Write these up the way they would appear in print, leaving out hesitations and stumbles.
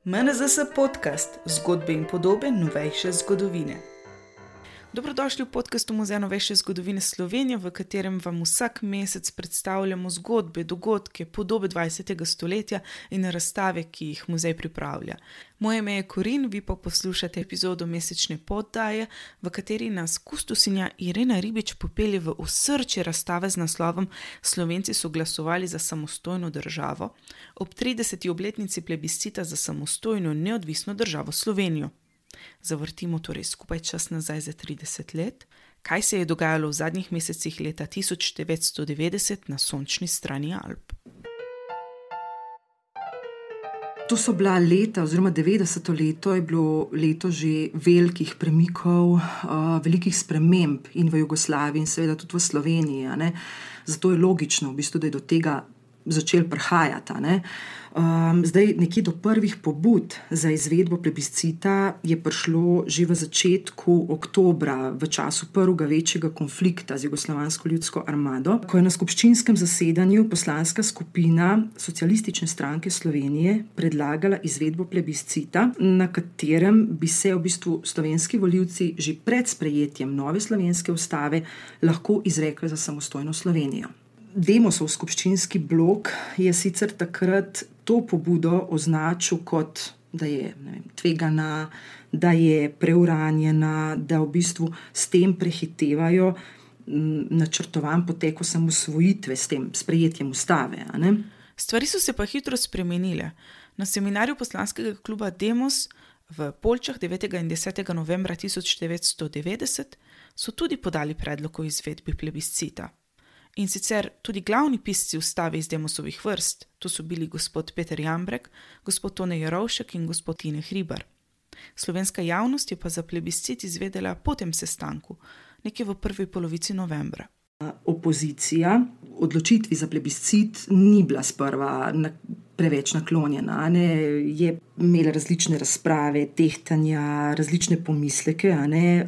MNZS podcast, zgodbe in podobe novejše zgodovine. Dobrodošli v podcastu Muzeja novejše zgodovine Slovenije, v katerem vam vsak mesec predstavljamo zgodbe, dogodke, podobe 20. stoletja in razstave, ki jih muzej pripravlja. Moje ime je Korin, vi pa poslušate epizodo mesečne poddaje, v kateri nas kustosinja Irena Ribič popelje v osrčje razstave z naslovom Slovenci so glasovali za samostojno državo ob 30. obletnici plebiscita za samostojno neodvisno državo Slovenijo. Zavrtimo torej skupaj čas nazaj za 30 let. Kaj se je dogajalo v zadnjih mesecih leta 1990 na sončni strani Alp? To so bila leta, oziroma 90. leto je bilo leto že velikih premikov, velikih sprememb in v Jugoslaviji in seveda tudi v Sloveniji. Zato je logično, da je do tega začel prihajati. Zdaj, nekje do prvih pobud za izvedbo plebiscita je prišlo že v začetku oktobra, v času prvega večjega konflikta z Jugoslovansko ljudsko armado, ko je na skupščinskem zasedanju poslanska skupina Socialistične stranke Slovenije predlagala izvedbo plebiscita, na katerem bi se v bistvu slovenski volivci že pred sprejetjem nove slovenske ustave lahko izrekli za samostojno Slovenijo. Demosov skupščinski blok je sicer takrat to pobudo označil kot, da je tvegana, da je preuranjena, da v bistvu s tem prehitevajo načrtovan potek osamosvojitve s tem sprejetjem ustave. Stvari so se pa hitro spremenile. Na seminarju poslanskega kluba Demos v Poljčah 9. in 10. novembra 1990 so tudi podali predlog o izvedbi plebiscita. In sicer tudi glavni pisci ustave iz Demosovih vrst, to so bili gospod Peter Jambrek, gospod Tone Jerovšek in gospod Tine Hribar. Slovenska javnost je pa za plebiscit izvedela po tem sestanku, nekje v prvi polovici novembra. Opozicija odločitvi za plebiscit ni bila sprva preveč naklonjena. Je imela različne razprave, tehtanja, različne pomisleke,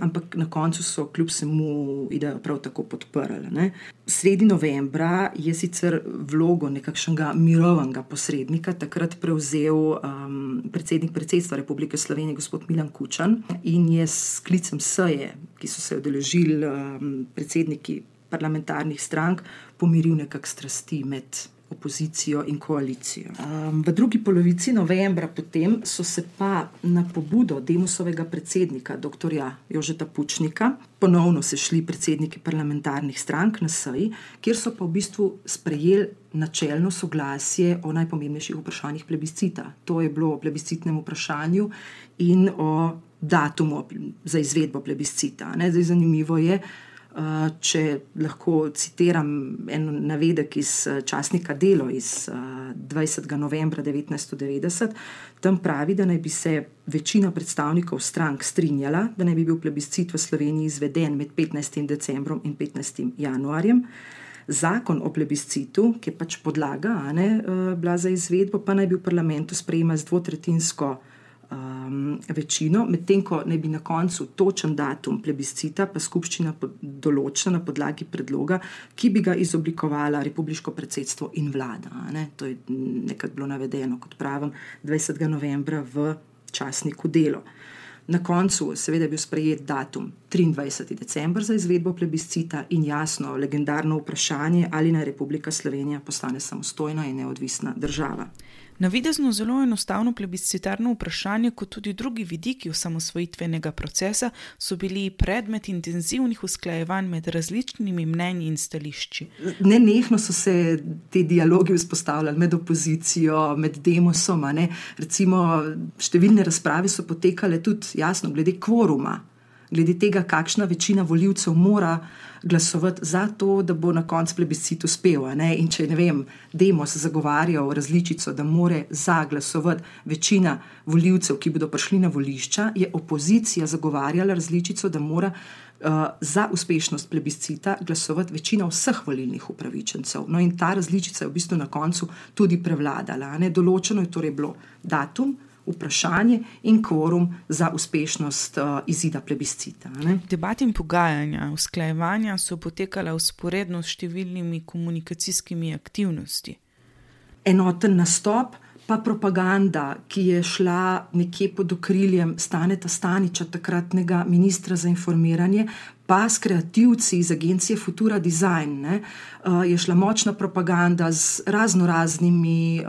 ampak na koncu so kljub vsemu idejo prav tako podprli. Sredi novembra je sicer vlogo nekakšnega mirovnega posrednika takrat prevzel predsednik predsedstva Republike Slovenije, gospod Milan Kučan, in je s sklicem seje, ki so se udeležili predsedniki parlamentarnih strank, pomiril nekak strasti med opozicijo in koalicijo. V drugi polovici novembra potem so se pa na pobudo Demosovega predsednika, dr. Jožeta Pučnika, ponovno sešli predsedniki parlamentarnih strank na seji, kjer so pa v bistvu sprejeli načelno soglasje o najpomembnejših vprašanjih plebiscita. To je bilo o plebiscitnem vprašanju in o datumu za izvedbo plebiscita. Zdaj, zanimivo je, če lahko citiram en navedek iz časnika Delo iz 20. novembra 1990, tam pravi, da naj bi se večina predstavnikov strank strinjala, da naj bi bil plebiscit v Sloveniji izveden med 15. decembrom in 15. januarjem. Zakon o plebiscitu, ki je pač podlaga bila za izvedbo, pa naj bi v parlamentu sprejema z dvotretjinsko večino, medtem ko naj bi na koncu točen datum plebiscita pa skupščina določila na podlagi predloga, ki bi ga izoblikovala republiško predsedstvo in vlada. To je nekako bilo navedeno, kot pravim, 20. novembra v časniku Delo. Na koncu seveda je bil sprejet datum 23. december za izvedbo plebiscita in jasno legendarno vprašanje, ali naj Republika Slovenija postane samostojna in neodvisna država. Navidezno zelo enostavno plebiscitarno vprašanje, kot tudi drugi vidiki osamosvojitvenega procesa, so bili predmet intenzivnih usklajevanj med različnimi mnenji in stališči. Nenehno so se te dialogi vzpostavljali med opozicijo, med Demosom. Recimo, številne razprave so potekale tudi jasno glede kvoruma, glede tega, kakšna večina volivcev mora glasovati za to, da bo na koncu plebiscit uspel. In če, Demos zagovarjal različico, da more za glasovati večina volivcev, ki bodo prišli na volišča, je opozicija zagovarjala različico, da mora za uspešnost plebiscita glasovati večina vseh volilnih upravičencev. In ta različica je v bistvu na koncu tudi prevladala. Določeno je torej bilo datum, vprašanje in kvorum za uspešnost izida plebiscita. Debate in pogajanja, usklajevanja so potekala vzporedno s številnimi komunikacijskimi aktivnosti. Enoten nastop pa propaganda, ki je šla nekje pod okriljem Staneta Staniča, takratnega ministra za informiranje, pa s kreativci iz agencije Futura Design, je šla močna propaganda z raznoraznimi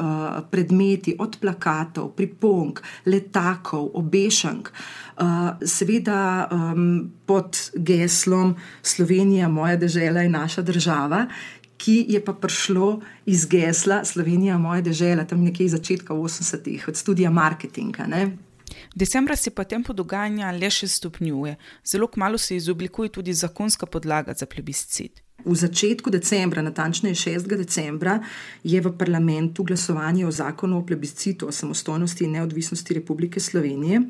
predmeti, od plakatov, priponk, letakov, obešank, seveda pod geslom Slovenija, moja dežela in naša država, ki je pa prišlo iz gesla Slovenija, moja dežela, tam nekje iz začetka 80-ih, od studija marketinga, ne. Decembra se pa tempo dogajanja le še stopnjuje. Zelo kmalu se izoblikuje tudi zakonska podlaga za plebiscit. V začetku decembra, natančneje 6. decembra, je v parlamentu glasovanje o zakonu o plebiscitu o samostojnosti in neodvisnosti Republike Slovenije.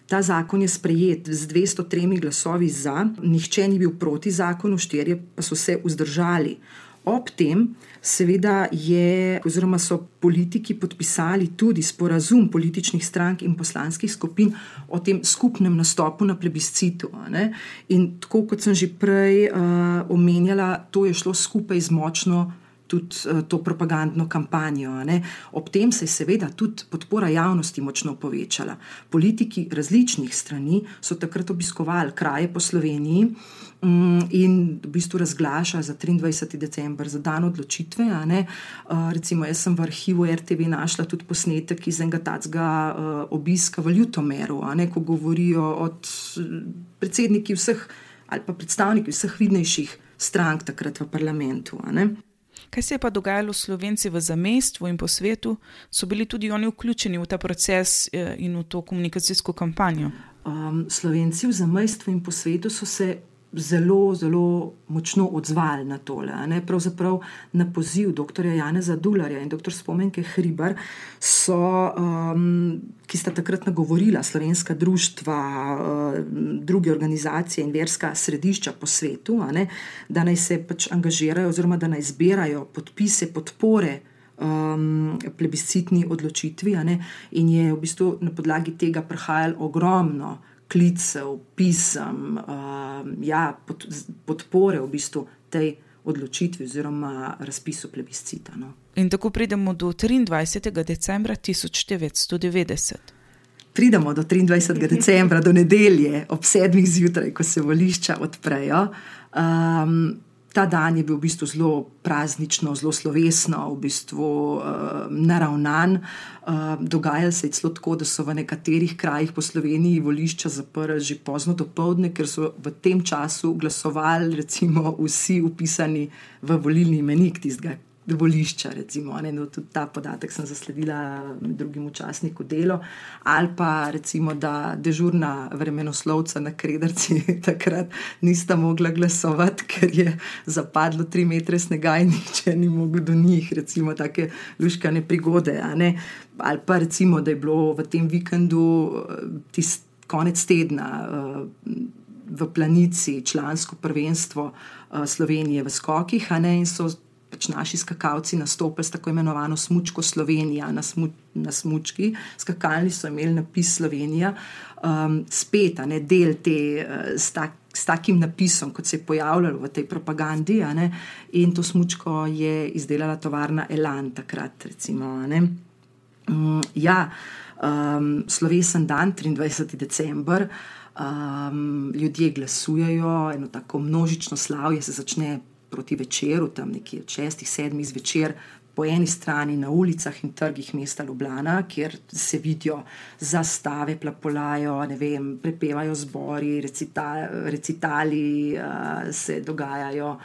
Ta zakon je sprejet z 203 glasovi za, nihče ni bil proti zakonu, 4 pa so se vzdržali. Ob tem seveda so politiki podpisali tudi sporazum političnih strank in poslanskih skupin o tem skupnem nastopu na plebiscitu. In tako kot sem že prej omenjala, to je šlo skupaj z močno tudi to propagandno kampanjo. Ob tem se je seveda tudi podpora javnosti močno povečala. Politiki različnih strani so takrat obiskovali kraje po Sloveniji in v bistvu razglaša za 23. december, za dan odločitve. Recimo, jaz sem v arhivu RTV našla tudi posnetek iz enega takega obiska v Ljutomeru, ko govorijo od predsedniki vseh ali pa predstavniki vseh vidnejših strank takrat v parlamentu. Kaj se je pa dogajalo Slovenci v zamejstvu in po svetu? So bili tudi oni vključeni v ta proces in v to komunikacijsko kampanjo? Slovenci v zamejstvu in po svetu so se zelo, zelo močno odzvali na tole. Pravzaprav na poziv dr. Janeza Dularja in dr. Spomenke Hribar ki sta takrat nagovorila slovenska društva, druge organizacije in verska središča po svetu, da naj se angažirajo oziroma da naj zbirajo podpise podpore plebiscitni odločitvi, in je v bistvu na podlagi tega prihajalo ogromno klicev, pisem, podpore v bistvu tej odločitvi oziroma razpisu plebiscita. In tako pridemo do 23. decembra 1990. Pridemo do 23. decembra, do nedelje, ob 7. zjutraj, ko se volišča odprejo. Ta dan je bil v bistvu zelo praznično, zelo slovesno, v bistvu naravnan. Dogajalo se je celo tako, da so v nekaterih krajih po Sloveniji volišča zaprli že pozno dopoldne, ker so v tem času glasovali recimo vsi vpisani v volilni imenik tistega volišča, recimo. Tudi ta podatek sem zasledila med drugim v časniku Delo. Ali pa recimo, da dežurna vremenoslovca na Krederci takrat nista mogla glasovati, ker je zapadlo 3 metre snega in nihče ni mogel do njih, recimo take luškane prigode. Ali pa recimo, da je bilo v tem vikendu konec tedna v Planici člansko prvenstvo Slovenije v skokih, in so naši skakalci nastopili s tako imenovano smučko Slovenija na smučki. Skakalni so imeli napis Slovenija, spet del te s takim napisom, kot se je pojavljalo v tej propagandi, in to smučko je izdelala tovarna Elan takrat, recimo. Slovesen dan, 23. december, ljudje glasujejo, eno tako množično slavje se začne proti večeru, tam nekje od 6-7 zvečer, po eni strani na ulicah in trgih mesta Ljubljana, kjer se vidijo zastave, plapolajo, prepevajo zbori, recitali se dogajajo,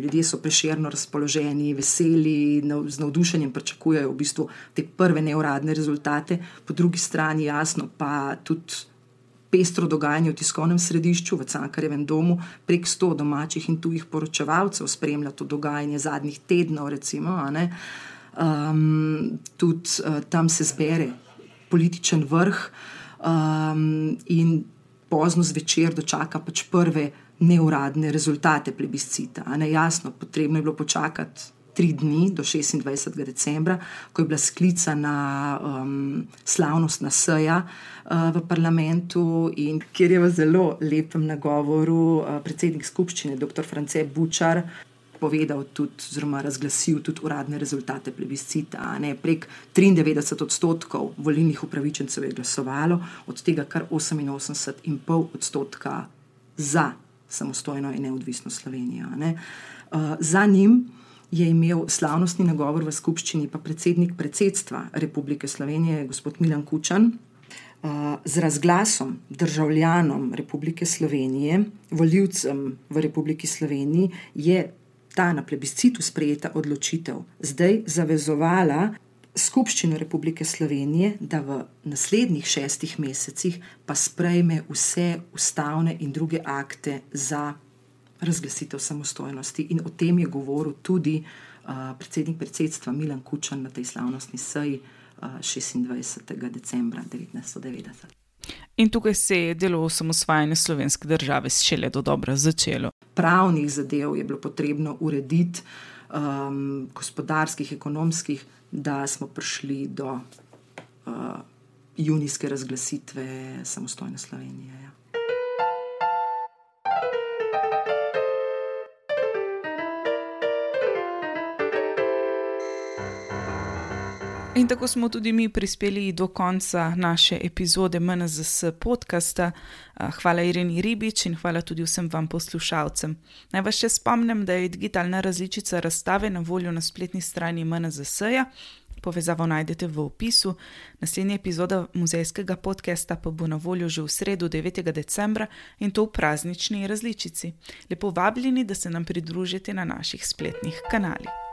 ljudje so prešerno razpoloženi, veseli, z navdušenjem pričakujejo v bistvu te prve neuradne rezultate. Po drugi strani jasno pa tudi pestro dogajanje v tiskovnem središču v Cankarjevem domu, prek 100 domačih in tujih poročevalcev spremlja to dogajanje zadnjih tednov, recimo. Tudi tam se zbere političen vrh in pozno zvečer dočaka prve neuradne rezultate plebiscita. Jasno, potrebno je bilo počakati 3 dni do 26. decembra, ko je bila sklicana slavnostna seja v parlamentu in kjer je v zelo lepem nagovoru predsednik skupščine, dr. France Bučar, napovedal tudi, oziroma razglasil tudi uradne rezultate plebiscita. Prek 93% volilnih upravičencev je glasovalo, od tega kar 88,5% za samostojno in neodvisno Slovenijo. Za njim je imel slavnostni nagovor v skupščini pa predsednik predsedstva Republike Slovenije, gospod Milan Kučan. Z razglasom državljanom Republike Slovenije, volivcem v Republiki Sloveniji, je ta na plebiscitu sprejeta odločitev zdaj zavezovala Skupščino Republike Slovenije, da v naslednjih 6 mesecih pa sprejme vse ustavne in druge akte za razglasitev samostojnosti. In o tem je govoril tudi predsednik predsedstva Milan Kučan na tej slavnostni seji 26. decembra 1990. In tukaj se je delo osamosvajanja slovenske države šele dodobra začelo. Pravnih zadev je bilo potrebno urediti, gospodarskih, ekonomskih, da smo prišli do junijske razglasitve samostojne Slovenije. Ja. In tako smo tudi mi prispeli do konca naše epizode MNZS podcasta. Hvala Ireni Ribič in hvala tudi vsem vam poslušalcem. Naj vas še spomnim, da je digitalna različica razstave na voljo na spletni strani MNZS-ja. Povezavo najdete v opisu. Naslednja epizoda muzejskega podcasta pa bo na voljo že v sredo 9. decembra in to v praznični različici. Lepo vabljeni, da se nam pridružite na naših spletnih kanalih.